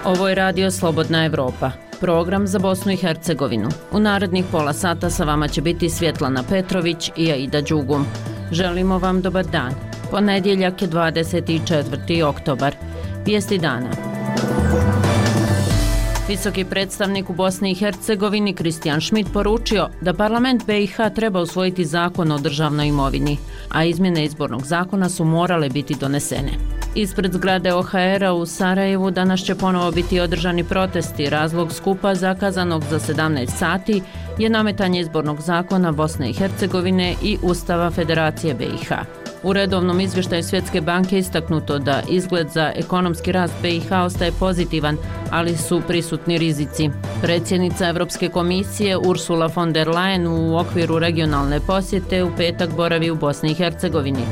Ovo je Radio Slobodna Evropa, program za Bosnu i Hercegovinu. U narednih pola sata sa vama će biti Svjetlana Petrović i Aida Đugum. Želimo vam dobar dan. Ponedjeljak je 24. oktobar. Vijesti dana. Visoki predstavnik u Bosni i Hercegovini Kristijan Šmit poručio da parlament BiH treba usvojiti zakon o državnoj imovini, a izmjene izbornog zakona su morale biti donesene. Ispred zgrade OHR-a u Sarajevu danas će ponovo biti održani protesti. Razlog skupa zakazanog za 17 sati je nametanje izbornog zakona Bosne i Hercegovine i Ustava Federacije BiH. U redovnom izvještaju Svjetske banke istaknuto da izgled za ekonomski rast BiH ostaje pozitivan, ali su prisutni rizici. Predsjednica Europske komisije Ursula von der Leyen u okviru regionalne posjete u petak boravi u Bosni i Hercegovini.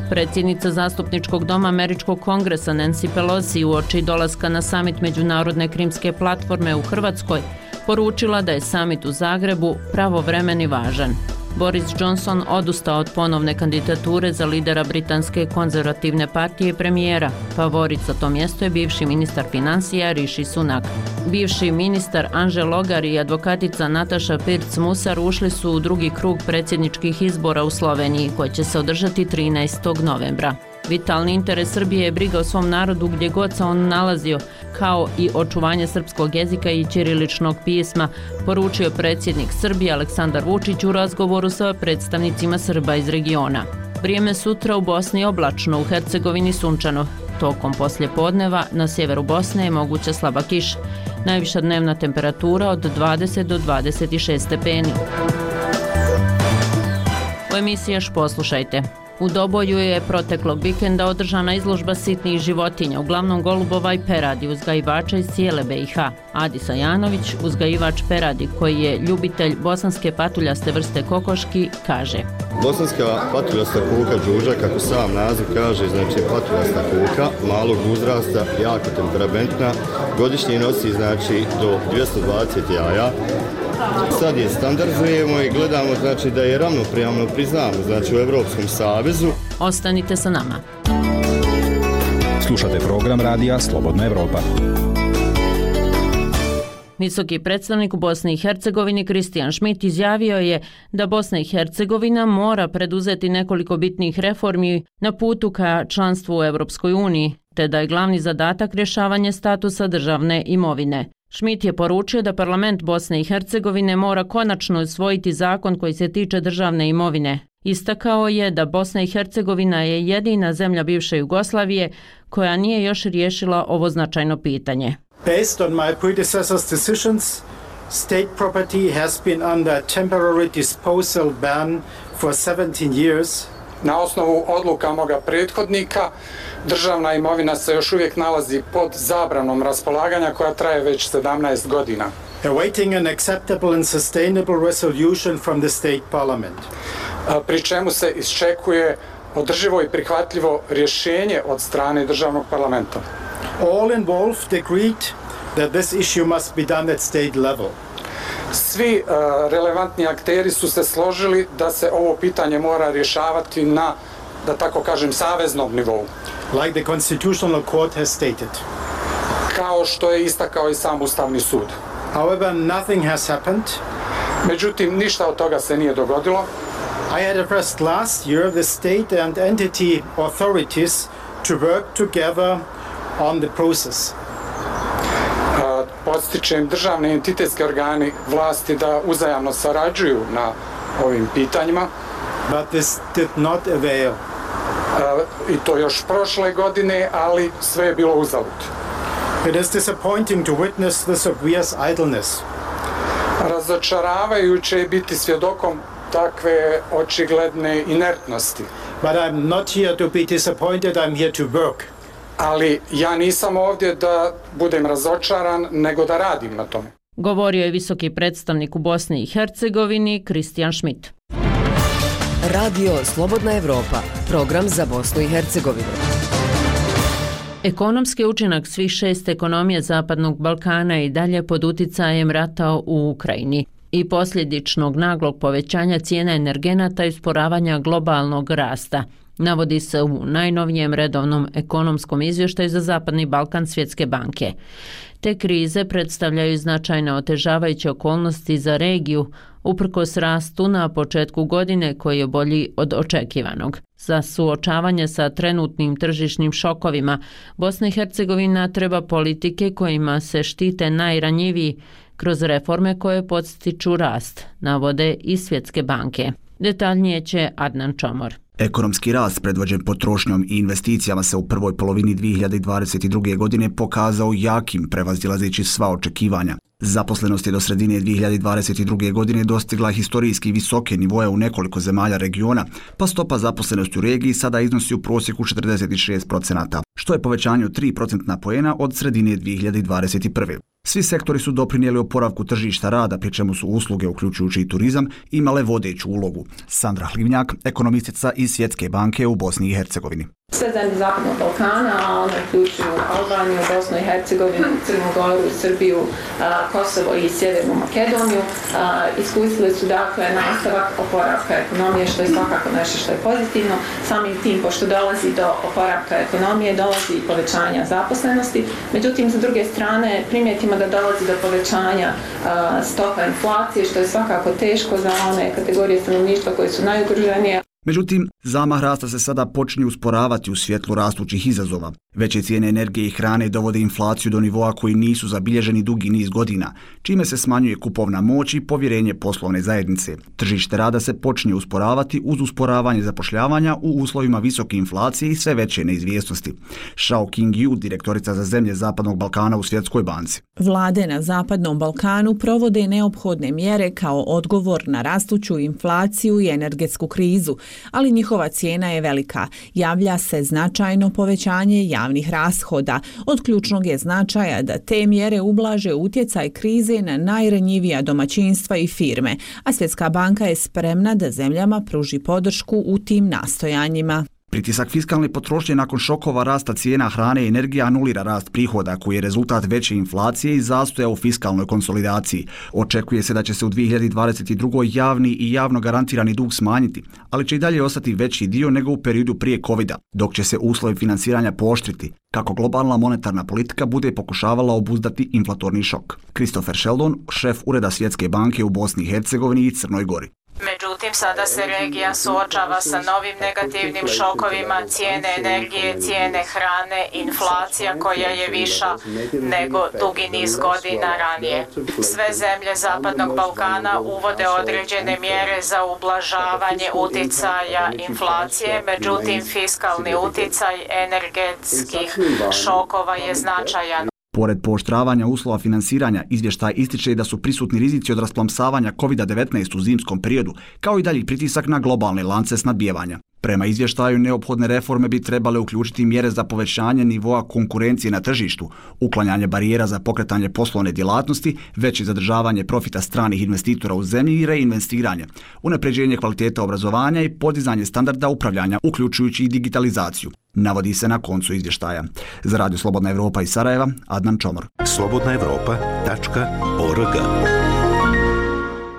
Predsjednica zastupničkog doma Američkog kongresa Nancy Pelosi uoči dolaska na samit Međunarodne krimske platforme u Hrvatskoj poručila da je samit u Zagrebu pravovremen i važan. Boris Johnson odustao od ponovne kandidature za lidera britanske konzervativne partije i premijera. Favorit za to mjesto je bivši ministar financija Rishi Sunak. Bivši ministar Anže Logar i advokatica Nataša Pirc-Musar ušli su u drugi krug predsjedničkih izbora u Sloveniji koji će se održati 13. novembra. Vitalni interes Srbije je briga o svom narodu gdje god se on nalazio, kao i očuvanje srpskog jezika i ćiriličnog pisma, poručio predsjednik Srbije Aleksandar Vučić u razgovoru sa predstavnicima Srba iz regiona. Vrijeme sutra u Bosni oblačno, u Hercegovini sunčano. Tokom poslijepodneva na sjeveru Bosne je moguća slaba kiša. Najviša dnevna temperatura od 20 do 26 stepeni. U emisiji još poslušajte. U Doboju je proteklog vikenda održana izložba sitnih životinja, uglavnom golubova i peradi, uzgajivača iz cijele BiH. Adi Sajanović, uzgajivač peradi koji je ljubitelj bosanske patuljaste vrste kokoški, kaže: Bosanska patuljasta kuka đuđa, kako sam naziv kaže, znači patuljasta kuka, malog uzrasta, jako temperamentna, godišnje nosi znači do 220 jaja. Sad je standardizujemo i gledamo znači da je ravnopravno priznamo znači u Europskom savezu. Ostanite sa nama. Slušate program radija Slobodna Evropa. Visoki predstavnik u Bosni i Hercegovini Kristijan Šmit izjavio je da Bosna i Hercegovina mora preduzeti nekoliko bitnih reformi na putu ka članstvu u Europskoj uniji, te da je glavni zadatak rješavanje statusa državne imovine. Šmit je poručio da parlament Bosne i Hercegovine mora konačno usvojiti zakon koji se tiče državne imovine. Istakao je da Bosna i Hercegovina je jedina zemlja bivše Jugoslavije koja nije još riješila ovo značajno pitanje. Based on my predecessor's decisions, state property has been under temporary disposal ban for 17 years. Na osnovu odluka moga prethodnika, državna imovina se još uvijek nalazi pod zabranom raspolaganja koja traje već 17 godina. Awaiting an acceptable and sustainable resolution from the state parliament. Pri čemu se iščekuje održivo i prihvatljivo rješenje od strane državnog parlamenta. All involved agreed that this issue must be done at state level. Svi relevantni akteri su se složili da se ovo pitanje mora rješavati na, da tako kažem, saveznom nivou. Like the Constitutional Court has stated. Kao što je istakao i sam Ustavni sud. However, nothing has happened. Međutim, ništa od toga se nije dogodilo. I had addressed last year the state and entity authorities to work together on the process. Podstičem državne entitetske organi vlasti da uzajamno sarađuju na ovim pitanjima. But this did not avail. I to još prošle godine, ali sve je bilo uzalud. It is disappointing to witness this obvious idleness. Razočaravajuće je biti svjedokom takve očigledne inertnosti. But I'm not here to be disappointed, I'm here to work. Ali ja nisam ovdje da budem razočaran, nego da radim na tome. Govorio je visoki predstavnik u Bosni i Hercegovini Kristijan Šmit. Radio Slobodna Evropa, program za Bosnu i Hercegovinu. Ekonomski učinak svih 6 ekonomija Zapadnog Balkana i dalje pod uticajem rata u Ukrajini i posljedičnog naglog povećanja cijena energenata i usporavanja globalnog rasta, navodi se u najnovijem redovnom ekonomskom izvještaju za Zapadni Balkan Svjetske banke. Te krize predstavljaju značajne otežavajuće okolnosti za regiju, uprkos rastu na početku godine koji je bolji od očekivanog. Za suočavanje sa trenutnim tržišnim šokovima, Bosna i Hercegovina treba politike kojima se štite najranjiviji kroz reforme koje podstiču rast, navode i Svjetske banke. Detaljnije će Adnan Čomor. Ekonomski rast predvođen potrošnjom i investicijama se u prvoj polovini 2022. godine pokazao jakim, prevazilazeći sva očekivanja. Zaposlenost je do sredine 2022. godine dostigla historijski visoke nivoe u nekoliko zemalja regiona, pa stopa zaposlenosti u regiji sada iznosi u prosjeku 46%, što je povećanje od 3% poena od sredine 2021. Svi sektori su doprinijeli oporavku tržišta rada, pri čemu su usluge, uključujući i turizam, imale vodeću ulogu. Sandra Hlivnjak, ekonomistica iz Svjetske banke u Bosni i Hercegovini. Sve zemlje Zapadnog Balkana, a one uključuju Albaniju, Bosnu i Hercegovinu, Crnu Goru, Srbiju, Kosovo i Sjevernu Makedoniju, iskusili su dakle nastavak oporavka ekonomije, što je svakako nešto što je pozitivno. Samim tim, pošto dolazi do oporavka ekonomije, dolazi i povećanja zaposlenosti. Međutim, sa druge strane, primijetimo da dolazi do povećanja stopa inflacije, što je svakako teško za one kategorije stanovništva koje su najugroženije. Međutim, zamah rasta se sada počinje usporavati u svjetlu rastućih izazova. Veće cijene energije i hrane dovode inflaciju do nivoa koji nisu zabilježeni dugi niz godina, čime se smanjuje kupovna moć i povjerenje poslovne zajednice. Tržište rada se počinje usporavati uz usporavanje zapošljavanja u uslovima visoke inflacije i sve veće neizvjesnosti. Shao King-Yu, direktorica za zemlje Zapadnog Balkana u Svjetskoj banci. Vlade na Zapadnom Balkanu provode neophodne mjere kao odgovor na rastuću inflaciju i energetsku krizu, ali njihova cijena je velika. Javlja se značajno povećanje javnih rashoda. Od ključnog je značaja da te mjere ublaže utjecaj krize na najranjivija domaćinstva i firme, a Svjetska banka je spremna da zemljama pruži podršku u tim nastojanjima. Pritisak fiskalne potrošnje nakon šokova rasta cijena hrane i energije anulira rast prihoda koji je rezultat veće inflacije i zastoja u fiskalnoj konsolidaciji. Očekuje se da će se u 2022. javni i javno garantirani dug smanjiti, ali će i dalje ostati veći dio nego u periodu prije covida, dok će se uslovi financiranja pooštriti, kako globalna monetarna politika bude pokušavala obuzdati inflatorni šok. Christopher Sheldon, šef Ureda Svjetske banke u Bosni i Hercegovini i Crnoj Gori. Međutim, sada se regija suočava sa novim negativnim šokovima, cijene energije, cijene hrane, inflacija koja je viša nego dugi niz godina ranije. Sve zemlje Zapadnog Balkana uvode određene mjere za ublažavanje uticaja inflacije, međutim, fiskalni uticaj energetskih šokova je značajan. Pored pooštravanja uslova finansiranja, izvještaj ističe da su prisutni rizici od rasplamsavanja COVID-19 u zimskom periodu, kao i dalji pritisak na globalne lance snabdijevanja. Prema izvještaju, neophodne reforme bi trebale uključiti mjere za povećanje nivoa konkurencije na tržištu, uklanjanje barijera za pokretanje poslovne djelatnosti, veće zadržavanje profita stranih investitora u zemlji i reinvestiranje, unapređenje kvaliteta obrazovanja i podizanje standarda upravljanja, uključujući i digitalizaciju. Navodi se na koncu izvještaja. Za Radio Slobodna Evropa iz Sarajeva, Adnan Čomor. slobodnaevropa.org.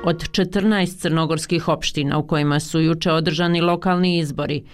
Od 14 crnogorskih opština u kojima su juče održani lokalni izbori,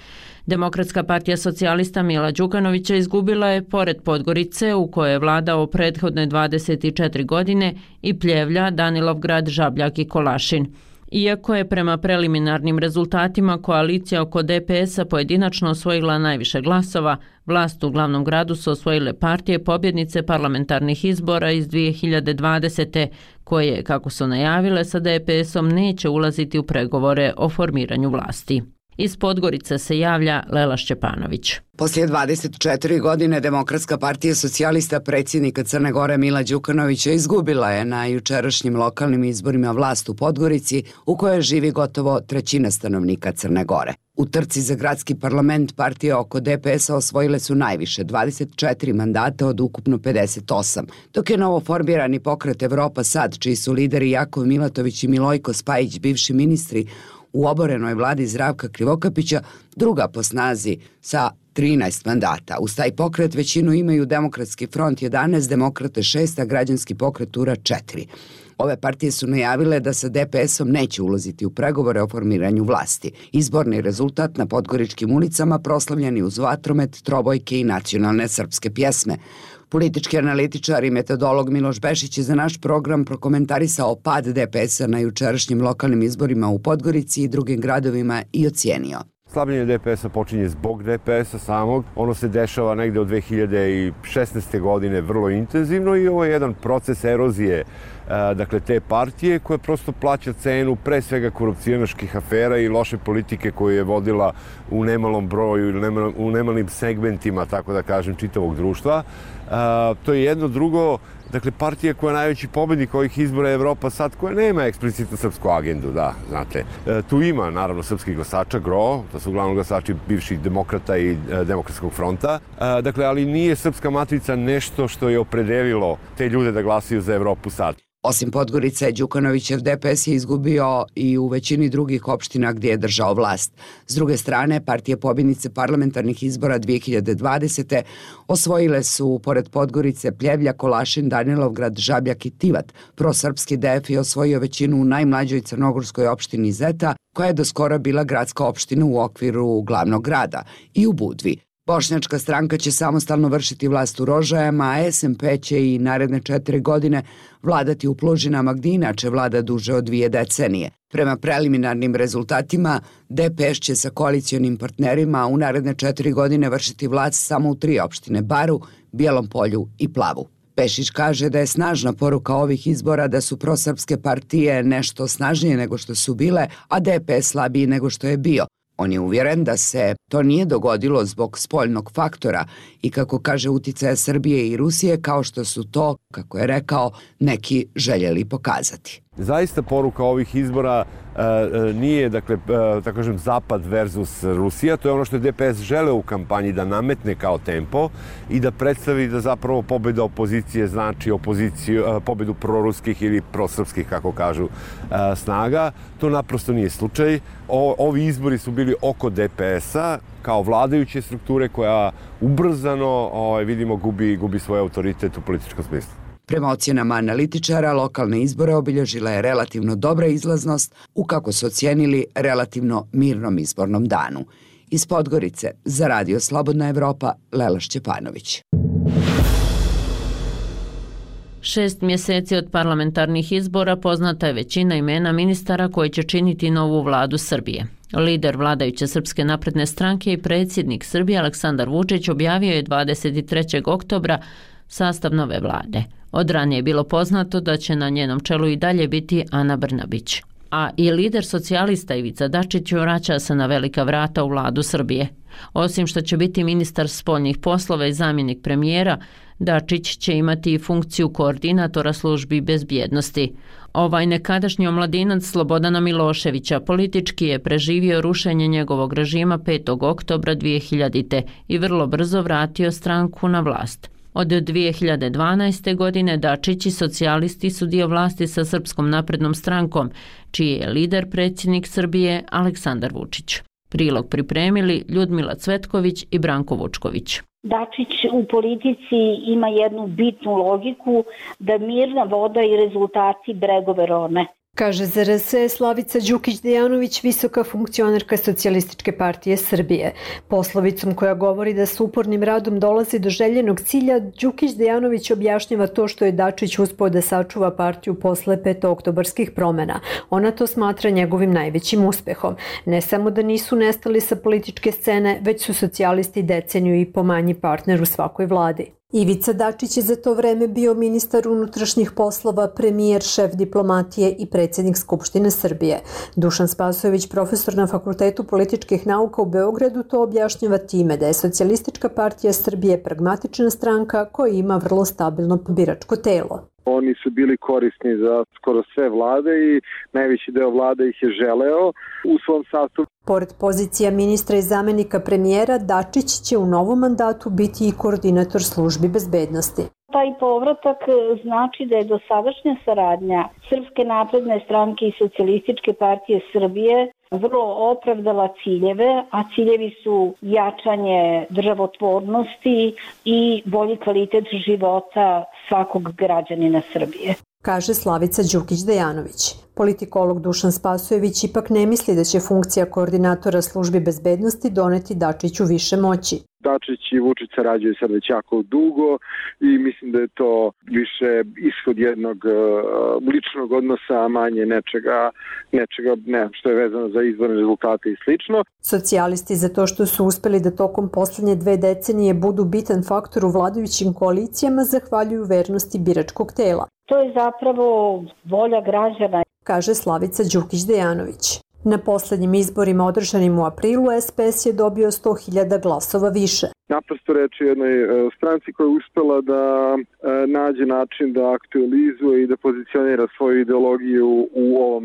Demokratska partija socijalista Mila Đukanovića izgubila je pored Podgorice, u kojoj je vladao prethodne 24 godine, i Pljevlja, Danilovgrad, Žabljak i Kolašin. Iako je prema preliminarnim rezultatima koalicija oko DPS-a pojedinačno osvojila najviše glasova, vlast u glavnom gradu su osvojile partije pobjednice parlamentarnih izbora iz 2020. koje, kako su najavile, sa DPS-om neće ulaziti u pregovore o formiranju vlasti. Iz Podgorice se javlja Lela Šćepanović. Poslije 24 godine Demokratska partija socijalista predsjednika Crne Gore Mila Đukanovića izgubila je na jučerašnjim lokalnim izborima vlast u Podgorici, u kojoj živi gotovo trećina stanovnika Crne Gore. U trci za gradski parlament partije oko DPS-a osvojile su najviše, 24 mandata od ukupno 58, dok je novoformirani pokret Evropa Sad, čiji su lideri Jakov Milatović i Milojko Spajić, bivši ministri u oborenoj vladi Zdravka Krivokapića, druga po snazi sa 13 mandata. Uz taj pokret većinu imaju Demokratski front 11, Demokrate 6, a Građanski pokret URA 4. Ove partije su najavile da sa DPS-om neće ulaziti u pregovore o formiranju vlasti. Izborni rezultat na podgoričkim ulicama proslavljeni uz vatromet, trobojke i nacionalne srpske pjesme. Politički analitičar i metodolog Miloš Bešić je za naš program prokomentarisao pad DPS-a na jučerašnjim lokalnim izborima u Podgorici i drugim gradovima i ocijenio. Slabljenje DPS-a počinje zbog DPS-a samog. Ono se dešava negde od 2016. godine vrlo intenzivno i ovo je jedan proces erozije dakle, te partije koja prosto plaća cenu pre svega korupcionaških afera i loše politike koju je vodila u nemalom broju ili u nemalim segmentima, tako da kažem, čitavog društva. To je jedno. Drugo, dakle, partija koja je najveći pobednik ovih izbora je Evropa sad, koja nema eksplicitno srpsku agendu, da, znate. Tu ima, naravno, srpskih glasača, gro, to su uglavnom glasači bivših demokrata i demokratskog fronta, dakle, ali nije srpska matrica nešto što je opredelilo te ljude da glasaju za Evropu sad. Osim Podgorice, Đukanovićev DPS je izgubio i u većini drugih opština gdje je držao vlast. S druge strane, partije pobjednice parlamentarnih izbora 2020. osvojile su, pored Podgorice, Pljevlja, Kolašin, Danilovgrad, Žabljak i Tivat. Prosrpski DF je osvojio većinu u najmlađoj crnogorskoj opštini Zeta, koja je doskora bila gradska opština u okviru glavnog grada, i u Budvi. Bošnjačka stranka će samostalno vršiti vlast u Rožajama, a SMP će i naredne 4 godine vladati u Plužinama, gdje inače vlada duže od 2 decenije. Prema preliminarnim rezultatima, DPS će sa koalicionim partnerima u naredne 4 godine vršiti vlast samo u 3 opštine: Baru, Bijelom Polju i Plavu. Pešić kaže da je snažna poruka ovih izbora da su prosrpske partije nešto snažnije nego što su bile, a DPS slabiji nego što je bio. On je uvjeren da se to nije dogodilo zbog spoljnog faktora i, kako kaže, uticaja Srbije i Rusije, kao što su to, kako je rekao, neki željeli pokazati. Zaista poruka ovih izbora nije, dakle, tako kažem, Zapad versus Rusija. To je ono što je DPS želeo u kampanji da nametne kao tempo i da predstavi da zapravo pobjeda opozicije znači pobjedu proruskih ili prosrpskih, kako kažu, snaga. To naprosto nije slučaj. Ovi izbori su bili oko DPS-a kao vladajuće strukture koja ubrzano, vidimo, gubi svoj autoritet u političkom smislu. Prema ocjenama analitičara, lokalne izbore obilježila je relativno dobra izlaznost u, kako su ocijenili, relativno mirnom izbornom danu. Iz Podgorice, za Radio Slobodna Evropa, Lela Šćepanović. 6 mjeseci od parlamentarnih izbora poznata je većina imena ministara koji će činiti novu vladu Srbije. Lider vladajuće Srpske napredne stranke i predsjednik Srbije Aleksandar Vučić objavio je 23. oktobra sastav nove vlade. Od ranije je bilo poznato da će na njenom čelu i dalje biti Ana Brnabić. A i lider socijalista Ivica Dačić vraća se na velika vrata u vladu Srbije. Osim što će biti ministar spoljnih poslova i zamjenik premijera, Dačić će imati i funkciju koordinatora službi bezbjednosti. Ovaj nekadašnji omladinac Slobodana Miloševića politički je preživio rušenje njegovog režima 5. oktobra 2000. i vrlo brzo vratio stranku na vlast. Od 2012. godine Dačić i socijalisti su dio vlasti sa Srpskom naprednom strankom, čiji je lider predsjednik Srbije Aleksandar Vučić. Prilog pripremili Ljudmila Cvetković i Branko Vučković. Dačić u politici ima jednu bitnu logiku da mirna voda i rezultati bregove rone. Kaže za RS Slavica Đukić-Dejanović, visoka funkcionerka Socijalističke partije Srbije. Poslovicom koja govori da s upornim radom dolazi do željenog cilja, Đukić-Dejanović objašnjava to što je Dačić uspeo da sačuva partiju posle 5. oktobarskih promjena. Ona to smatra njegovim najvećim uspehom. Ne samo da nisu nestali sa političke scene, već su socijalisti deceniju i po manji partner u svakoj vladi. Ivica Dačić je za to vreme bio ministar unutrašnjih poslova, premijer, šef diplomatije i predsjednik Skupštine Srbije. Dušan Spasojević, profesor na Fakultetu političkih nauka u Beogradu, to objašnjava time da je Socijalistička partija Srbije pragmatična stranka koja ima vrlo stabilno biračko telo. Oni su bili korisni za skoro sve vlade i najveći deo vlade ih je želeo u svom sastavu. Pored pozicija ministra i zamjenika premijera, Dačić će u novom mandatu biti i koordinator službi bezbednosti. Taj povratak znači da je dosadašnja saradnja Srpske napredne stranke i Socijalističke partije Srbije vrlo opravdala ciljeve, a ciljevi su jačanje državotvornosti i bolji kvalitet života svakog građanina Srbije. kaže Slavica Đukić-Dejanović. Politikolog Dušan Spasojević ipak ne misli da će funkcija koordinatora službi bezbednosti doneti Dačiću više moći. Dačić i Vučić sarađuju sad već jako dugo i mislim da je to više ishod jednog ličnog odnosa, a manje nečega što je vezano za izborne rezultate i slično. Socijalisti za to što su uspeli da tokom poslednje 2 decenije budu bitan faktor u vladajućim koalicijama zahvaljuju vernosti biračkog tela. To je zapravo volja građana, kaže Slavica Đukić-Dejanović. Na poslednjim izborima održanim u aprilu SPS je dobio 100.000 glasova više. Naprosto reč je jednoj stranci koja je uspela da nađe način da aktualizuje i da pozicionira svoju ideologiju u ovom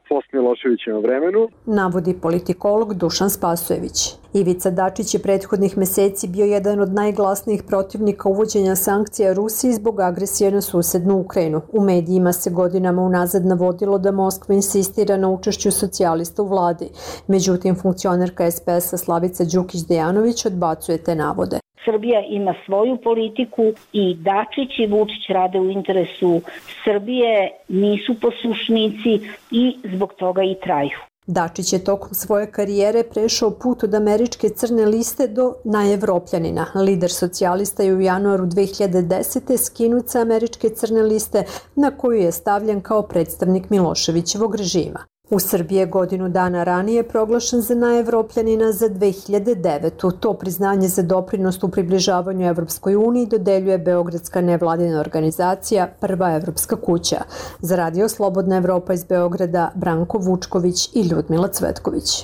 post-Miloševićevom vremenu. Navodi politikolog Dušan Spasojević. Ivica Dačić je prethodnih meseci bio jedan od najglasnijih protivnika uvođenja sankcija Rusiji zbog agresije na susednu Ukrajinu. U medijima se godinama unazad navodilo da Moskva insistira na učešću socijalista u vladi. Međutim, funkcionerka SPS-a Slavica Đukić-Dejanović odbacuje te navode. Srbija ima svoju politiku i Dačić i Vučić rade u interesu Srbije, nisu poslušnici i zbog toga i traju. Dačić je tokom svoje karijere prešao put od američke crne liste do najevropljanina. Lider socijalista je u januaru 2010. skinut sa američke crne liste na koju je stavljen kao predstavnik Miloševićevog režima. U Srbiji je godinu dana ranije proglašen za najevropljanina za 2009. To priznanje za doprinos u približavanju Evropskoj uniji dodeljuje beogradska nevladina organizacija Prva evropska kuća. Za Radio Slobodna Evropa iz Beograda Branko Vučković i Ljudmila Cvetković.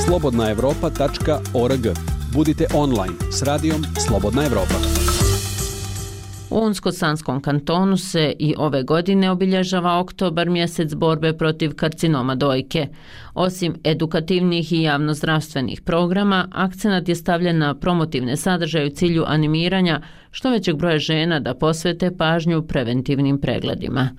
slobodnaevropa.org. Budite online s radijom Slobodna Evropa. U Unsko-Sanskom kantonu se i ove godine obilježava oktobar, mjesec borbe protiv karcinoma dojke. Osim edukativnih i javnozdravstvenih programa, akcenat je stavljen na promotivne sadržaje u cilju animiranja što većeg broja žena da posvete pažnju preventivnim pregledima.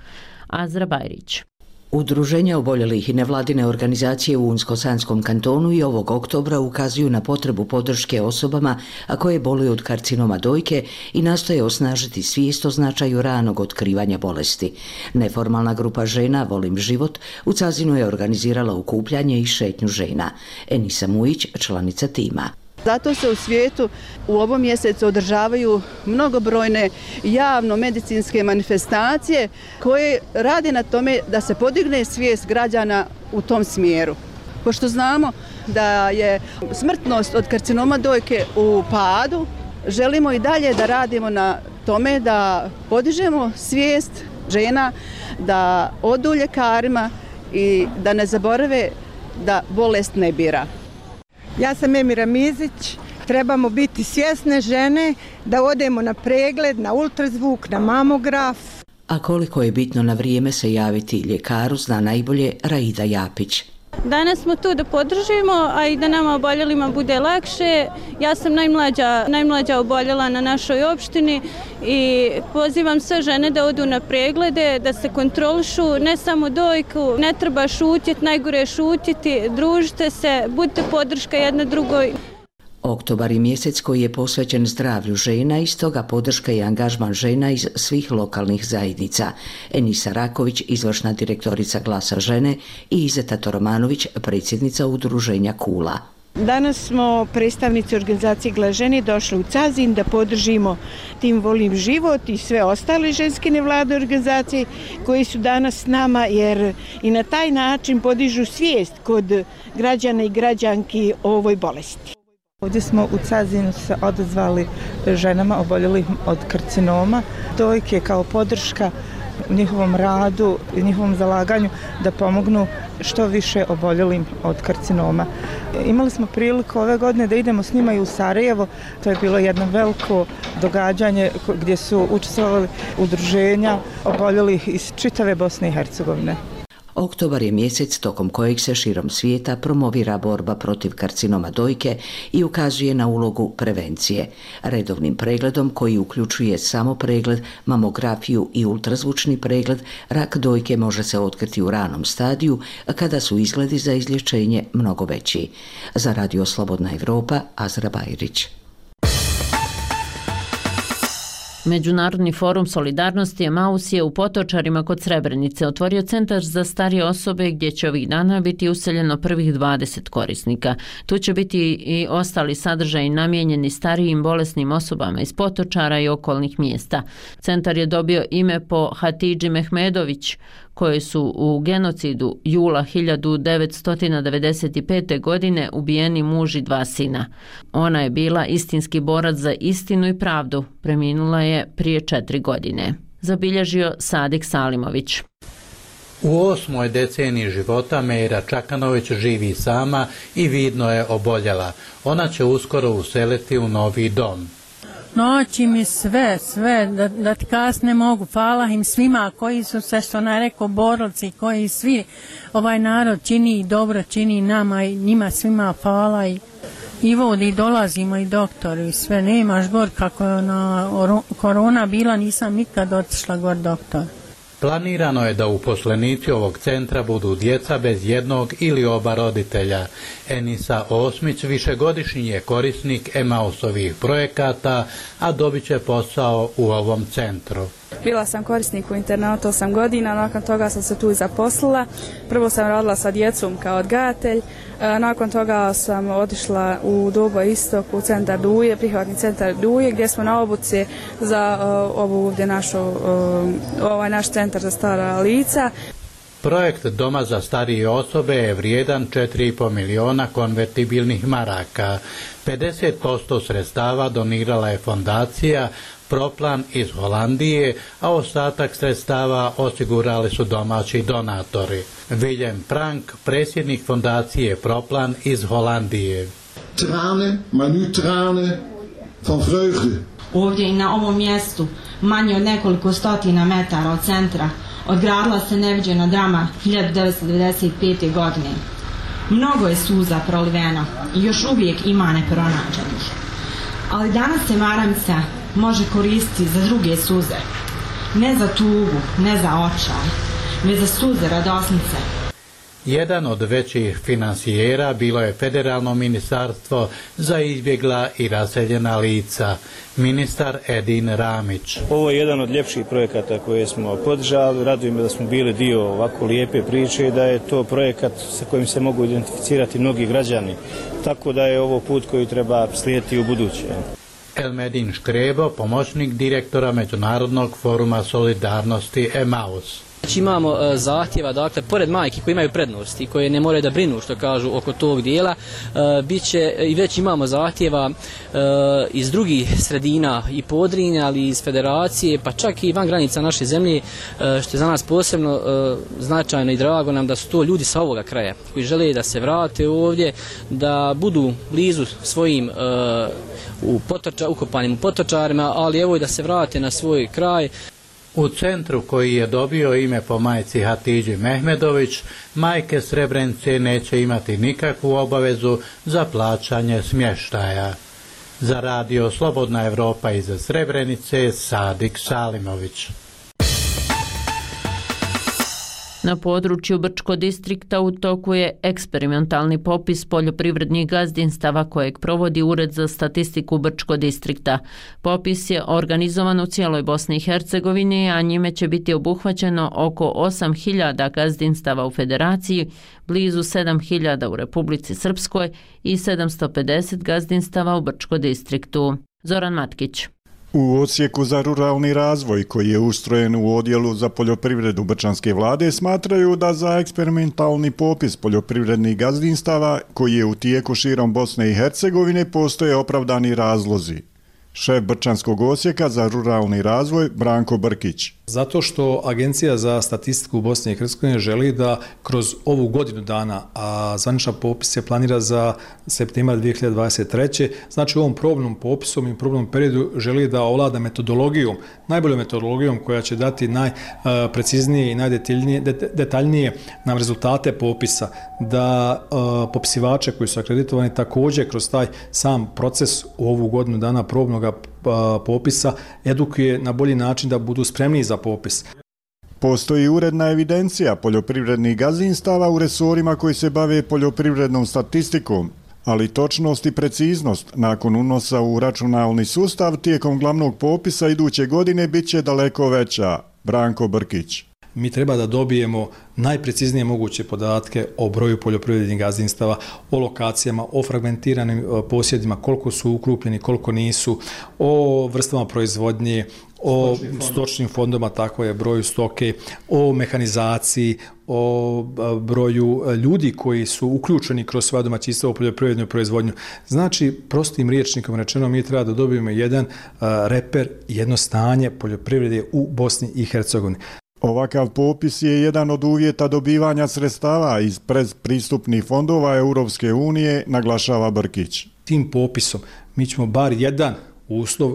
Azra Bajrić. Udruženja oboljelih i nevladine organizacije u Unsko-Sanskom kantonu i ovog oktobra ukazuju na potrebu podrške osobama a koje boluju od karcinoma dojke i nastoje osnažiti svijest o značaju ranog otkrivanja bolesti. Neformalna grupa žena Volim život u Cazinu je organizirala okupljanje i šetnju žena. Enisa Mujić, članica tima. Zato se u svijetu u ovom mjesecu održavaju mnogobrojne javno-medicinske manifestacije koje rade na tome da se podigne svijest građana u tom smjeru. Pošto znamo da je smrtnost od karcinoma dojke u padu, želimo i dalje da radimo na tome da podižemo svijest žena, da odu ljekarima i da ne zaborave da bolest ne bira. Ja sam Emira Mizić, trebamo biti svjesne žene da odemo na pregled, na ultrazvuk, na mamograf. A koliko je bitno na vrijeme se javiti ljekaru zna najbolje Raida Japić. Danas smo tu da podržimo, a i da nama oboljelima bude lakše. Ja sam najmlađa oboljela na našoj opštini i pozivam sve žene da odu na preglede, da se kontrolišu, ne samo dojku, ne treba šutjeti, najgore je šutjeti, družite se, budite podrška jedna drugoj. Oktobar je mjesec koji je posvećen zdravlju žena i stoga podrška i angažman žena iz svih lokalnih zajednica. Enisa Raković, izvršna direktorica Glasa žene i Izeta Toromanović, predsjednica udruženja Kula. Danas smo predstavnici organizacije Glas žene došli u Cazin da podržimo tim Volim život i sve ostale ženske nevladine organizacije koji su danas s nama jer i na taj način podižu svijest kod građana i građanki o ovoj bolesti. Ovdje smo u Cazinu se odazvali ženama oboljelim od karcinoma dojke kao podrška njihovom radu i njihovom zalaganju da pomognu što više oboljelim od karcinoma. Imali smo priliku ove godine da idemo s njima i u Sarajevo. To je bilo jedno veliko događanje gdje su učestvovali udruženja oboljelih iz čitave Bosne i Hercegovine. Oktobar je mjesec tokom kojeg se širom svijeta promovira borba protiv karcinoma dojke i ukazuje na ulogu prevencije. Redovnim pregledom koji uključuje samo pregled, mamografiju i ultrazvučni pregled, rak dojke može se otkriti u ranom stadiju kada su izgledi za izlječenje mnogo veći. Za Radio Slobodna Evropa, Azra Bajrić. Međunarodni forum solidarnosti Emaus je u Potočarima kod Srebrenice otvorio centar za starije osobe gdje će ovih dana biti useljeno prvih 20 korisnika. Tu će biti i ostali sadržaji namijenjeni starijim bolesnim osobama iz Potočara i okolnih mjesta. Centar je dobio ime po Hatidži Mehmedović, koji su u genocidu jula 1995. godine ubijeni muž i 2 sina. Ona je bila istinski borac za istinu i pravdu. Preminula je prije 4 godine. Zabilježio Sadik Salimović. U 8. deceniji života Mejra Čakanović živi sama i vidno je oboljela. Ona će uskoro useliti u novi dom. Noći mi sve, da ti kasne mogu. Hvala im svima koji su se, što nam rekao, borci, koji svi ovaj narod čini i dobro čini nama i njima svima hvala i vodi, dolazimo i doktoru i sve. Nemaš gor kako je korona bila, nisam nikad otišla gor doktor. Planirano je da uposlenici ovog centra budu djeca bez jednog ili oba roditelja. Enisa Osmić višegodišnji je korisnik Emausovih projekata, a dobit će posao u ovom centru. Bila sam korisnik u internatu 8 godina, nakon toga sam se tu zaposlila. Prvo sam radila sa djecom kao odgajatelj, nakon toga sam otišla u Dobo Istok u centar Duje, prihvatni centar Duje, gdje smo na obuci za ovaj naš centar za stara lica. Projekt Doma za starije osobe je vrijedan 4,5 miliona konvertibilnih maraka. 50% sredstava donirala je fondacija Proplan iz Holandije, a ostatak sredstava osigurali su domaći donatori. Willem Prank, predsjednik fondacije Proplan iz Holandije. Trane, maar nu trane van vreugde. Ovdje i na ovom mjestu, manje od nekoliko stotina metara od centra, odgradila se neviđena drama 1995. godine. Mnogo je suza proliveno i još uvijek ima nepronađenih. Ali danas se Maravica može koristiti za druge suze. Ne za tugu, ne za očaj, već za suze radosnice. Jedan od većih finansijera bilo je Federalno ministarstvo za izbjegla i raseljena lica, ministar Edin Ramić. Ovo je jedan od ljepših projekata koje smo podržali. Raduje me da smo bili dio ovako lijepe priče i da je to projekat sa kojim se mogu identificirati mnogi građani. Tako da je ovo put koji treba slijediti u buduće. Elmedin Škrebo, pomoćnik direktora Međunarodnog foruma solidarnosti Emaus. Znači imamo zahtjeva, dakle, pored majki koji imaju prednost i koje ne moraju da brinu, što kažu, oko tog dijela, bit će i već imamo zahtjeva iz drugih sredina i Podrinja, ali i iz federacije, pa čak i van granica naše zemlje, što je za nas posebno značajno i drago nam da su to ljudi sa ovoga kraja, koji žele da se vrate ovdje, da budu blizu svojim ukopanim u Potočarima, ali evo i da se vrate na svoj kraj. U centru koji je dobio ime po majci Hatidži Mehmedović, majke Srebrenice neće imati nikakvu obavezu za plaćanje smještaja. Za radio Slobodna Evropa iz Srebrenice, Sadik Salimović. Na području Brčko distrikta u toku je eksperimentalni popis poljoprivrednih gazdinstava kojeg provodi Ured za statistiku Brčko distrikta. Popis je organizovan u cijeloj Bosni i Hercegovini, a njime će biti obuhvaćeno oko 8.000 gazdinstava u Federaciji, blizu 7.000 u Republici Srpskoj i 750 gazdinstava u Brčko distriktu. Zoran Matkić. U odsjeku za ruralni razvoj koji je ustrojen u odjelu za poljoprivredu Brčanske vlade smatraju da za eksperimentalni popis poljoprivrednih gazdinstava koji je u tijeku širom Bosne i Hercegovine postoje opravdani razlozi. Šef Brčanskog odsjeka za ruralni razvoj Branko Brkić. Zato što Agencija za statistiku u Bosni i Hercegovini želi da kroz ovu godinu dana, a zvaničan popis se planira za septembar 2023. Znači u ovom probnom popisom i probnom periodu želi da ovlada metodologijom, najboljom metodologijom koja će dati najpreciznije i najdetaljnije nam rezultate popisa, da popisivače koji su akreditovani također kroz taj sam proces u ovu godinu dana probnog popisa edukuje na bolji način da budu spremni za popis. Postoji uredna evidencija poljoprivrednih gazdinstava u resorima koji se bave poljoprivrednom statistikom, ali točnost i preciznost nakon unosa u računalni sustav tijekom glavnog popisa iduće godine bit će daleko veća. Branko Brkić. Mi treba da dobijemo najpreciznije moguće podatke o broju poljoprivrednih gazdinstava, o lokacijama, o fragmentiranim posjedima, koliko su ukrupljeni, koliko nisu, o vrstama proizvodnje, o stočnim fondovima, tako je, broju stoke, o mehanizaciji, o broju ljudi koji su uključeni kroz sva domaćinstva u poljoprivrednu proizvodnju. Znači, prostim rječnikom rečeno, mi treba da dobijemo jedan reper, jedno stanje poljoprivrede u Bosni i Hercegovini. Ovakav popis je jedan od uvjeta dobivanja sredstava iz predpristupnih fondova Europske unije, naglašava Brkić. Tim popisom mi ćemo bar jedan uslov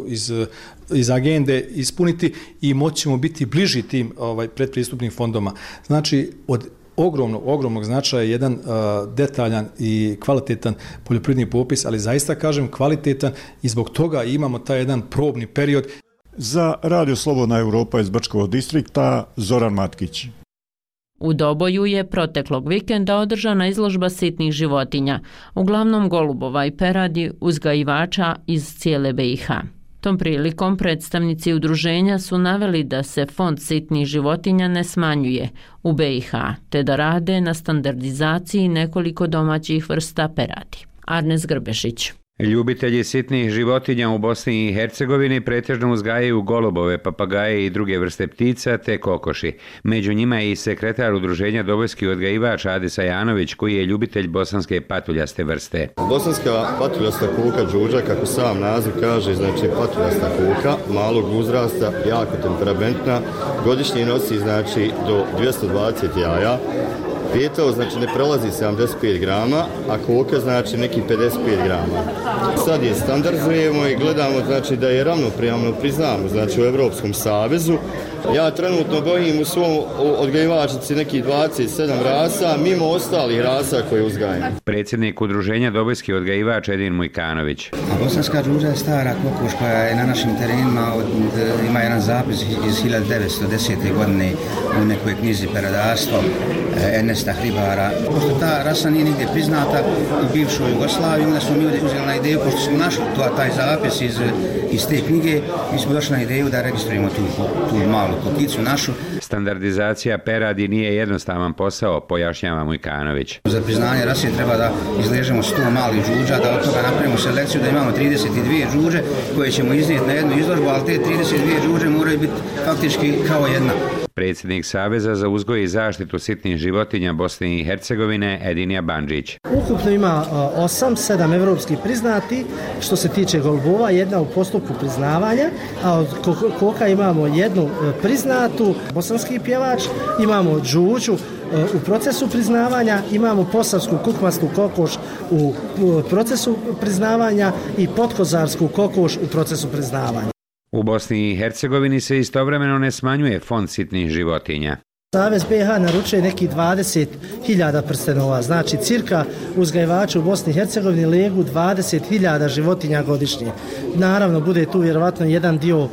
iz agende ispuniti i moćemo biti bliži tim predpristupnim fondoma. Znači, od ogromnog značaja je jedan detaljan i kvalitetan poljoprivredni popis, ali zaista kažem kvalitetan i zbog toga imamo taj jedan probni period. Za Radio Slobodna Europa iz Brčkog distrikta, Zoran Matkić. U Doboju je proteklog vikenda održana izložba sitnih životinja, uglavnom golubova i peradi, uzgajivača iz cijele BiH. Tom prilikom predstavnici udruženja su naveli da se fond sitnih životinja ne smanjuje u BiH, te da rade na standardizaciji nekoliko domaćih vrsta peradi. Arnes Grbešić. Ljubitelji sitnih životinja u Bosni i Hercegovini pretežno uzgajaju golubove, papagaje i druge vrste ptica te kokoši. Među njima je i sekretar udruženja Dobojski odgajivač Adis Ajanović, koji je ljubitelj bosanske patuljaste vrste. Bosanska patuljasta kuka đuđa, kako sam naziv kaže, znači patuljasta kuka, malog uzrasta, jako temperamentna, godišnje nosi znači do 220 jaja. Pijetao znači ne prelazi 75 grama, a koka znači neki 55 grama. Sad je standardizujemo i gledamo znači da je ravnopravno priznamo znači u Europskom savezu. Ja trenutno gojim u svom odgajivačici nekih 27 rasa, mimo ostalih rasa koje uzgajam. Predsjednik udruženja Dobojski odgajivač Edin Mujkanović. Bosanska đuđa je stara kokoš koja je na našim terenima, ima jedan zapis iz 1910. godine u nekoj knjizi Peradarstvo Ernesta Hribara. Pošto ta rasa nije nigdje priznata u bivšoj Jugoslaviji, onda smo mi uzeli na ideju, pošto smo našli taj zapis iz te knjige, mi smo došli na ideju da registrujemo tu malu kokicu našu. Standardizacija peradi nije jednostavan posao, pojašnjava Mujkanović. Za priznanje rase treba da izležemo 100 malih đuđa, da od toga napravimo selekciju, da imamo 32 đuđe koje ćemo iznijeti na jednu izložbu, ali te 32 đuđe moraju biti faktički kao jedna. Predsjednik Saveza za uzgoj i zaštitu sitnih životinja Bosne i Hercegovine Edinija Bandžić. Ukupno ima 7 evropskih priznati, što se tiče golubova, jedna u postupku priznavanja, a od koka imamo jednu priznatu, bosanski pjevač, imamo đuđu u procesu priznavanja, imamo posavsku kukmastu kokoš u procesu priznavanja i potkozarsku kokoš u procesu priznavanja. U Bosni i Hercegovini se istovremeno ne smanjuje fond sitnih životinja. Savez BiH naručuje neki 20.000 prstenova, znači cirka uzgajivači u Bosni i Hercegovini legu 20.000 životinja godišnje. Naravno, bude tu vjerovatno jedan dio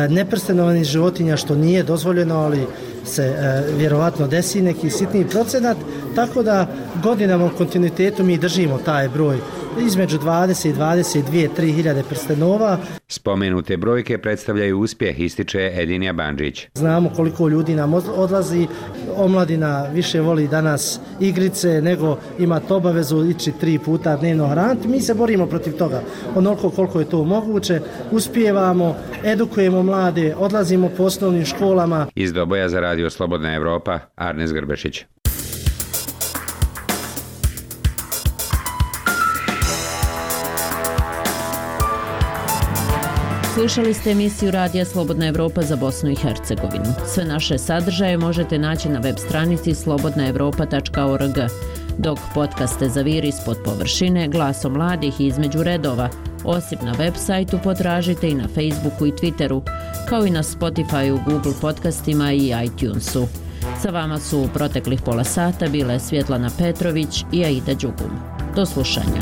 neprstenovanih životinja što nije dozvoljeno, ali se vjerovatno desi neki sitniji procenat, tako da godinama u kontinuitetu mi držimo taj broj između 20 i 22, 3.000 prstenova. Spomenute brojke predstavljaju uspjeh, ističe Edinija Bandžić. Znamo koliko ljudi nam odlazi, omladina više voli danas igrice nego imati obavezu ići 3 puta dnevno hraniti. Mi se borimo protiv toga. Onoliko koliko je to moguće, uspijevamo, edukujemo mlade, odlazimo po osnovnim školama. Iz Doboja za Radio Slobodna Europa, Arnes Grbešić. Slušali ste emisiju Radija Slobodna Evropa za Bosnu i Hercegovinu. Sve naše sadržaje možete naći na web stranici slobodnaevropa.org, dok podcaste Zaviri ispod površine, Glasom mladih i Između redova, osim na web sajtu potražite i na Facebooku i Twitteru, kao i na Spotifyu, Google podcastima i iTunesu. Sa vama su u proteklih pola sata bile Svjetlana Petrović i Aida Đugum. Do slušanja.